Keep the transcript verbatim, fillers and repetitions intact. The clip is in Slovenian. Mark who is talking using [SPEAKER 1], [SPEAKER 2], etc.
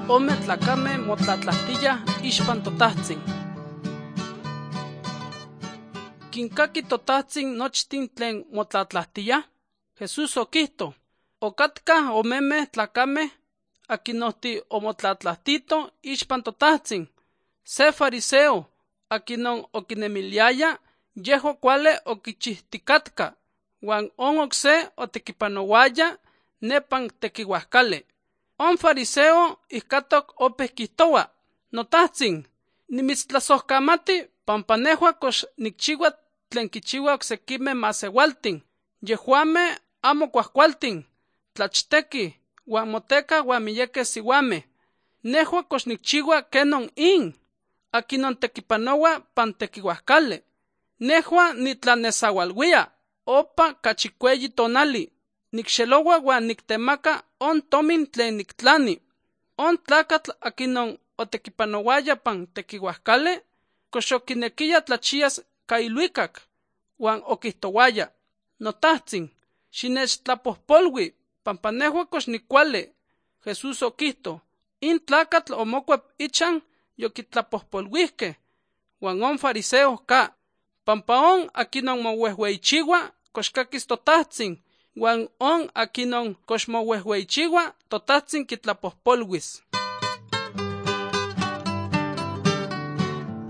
[SPEAKER 1] ome tlacame motlatlahtiyah ixpan totahtsin. Kinkaki totahtsin nochtin tlen motlatlahtiyah, Jesús okihto, okatkah omemeh tlacameh akinohti omotlatlahtito ixpan totahtsin. Se fariseo akinon okinemiliaya yeho kuale okichihtikatka, wan on okse otekipanowaya nepan tekiuahkali. On fariseo ihkatok opeh kihtowa, notahtsin, nimitztlasohkamati pampa nehua kox nikchiua tlen kichiua oksekimeh masewaltin, yehuameh amo kuahkualtin, tlachtekih, wan motekah wan miyekeh siuameh. Nehua kox nikchiua kenon in, akinon tekipanowa pan tekiuahkali. Nehua nitlanesaualuia opa kachi cueyi tonali, nikxeloua wan niktemaka on tomin tlen niktlani. On tlakatl akinon otekipanowaya pan tekiuahkali, kox okinekiya tlachiyas ka iluikak, wan okihtowaya, notahtsin, xinechtlapojpolui, pampa nehua kox nikuali. Jesús okihto, in tlakatl omokuep ichan yokitlapojpoluihkeh, wan on fariseo ka, pampa on akinon mowehweichiua kox kakis totahtsin, wan on akinon kox mowehweichiua totahtsin kitlapojpoluis.